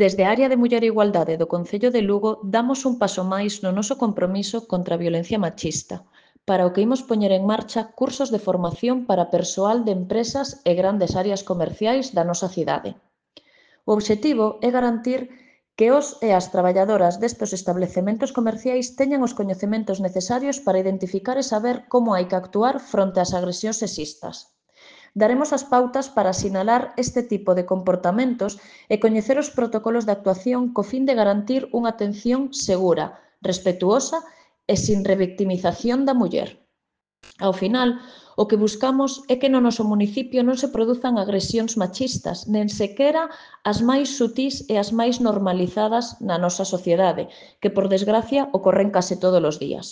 Desde a área de Muller e Igualdade do Concello de Lugo damos un paso máis no noso compromiso contra a violencia machista, para o que imos poñer en marcha cursos de formación para persoal de empresas e grandes áreas comerciais da nosa cidade. O obxectivo é garantir que os e as traballadoras destes establecementos comerciais teñan os coñecementos necesarios para identificar e saber como hai que actuar fronte ás agresións sexistas. Daremos as pautas para sinalar este tipo de comportamentos e coñecer os protocolos de actuación co fin de garantir unha atención segura, respectuosa e sin revictimización da muller. Ao final, o que buscamos é que no noso municipio non se produzan agresións machistas, nen sequera as máis sutís e as máis normalizadas na nosa sociedade, que, por desgracia, ocorren case todos os días.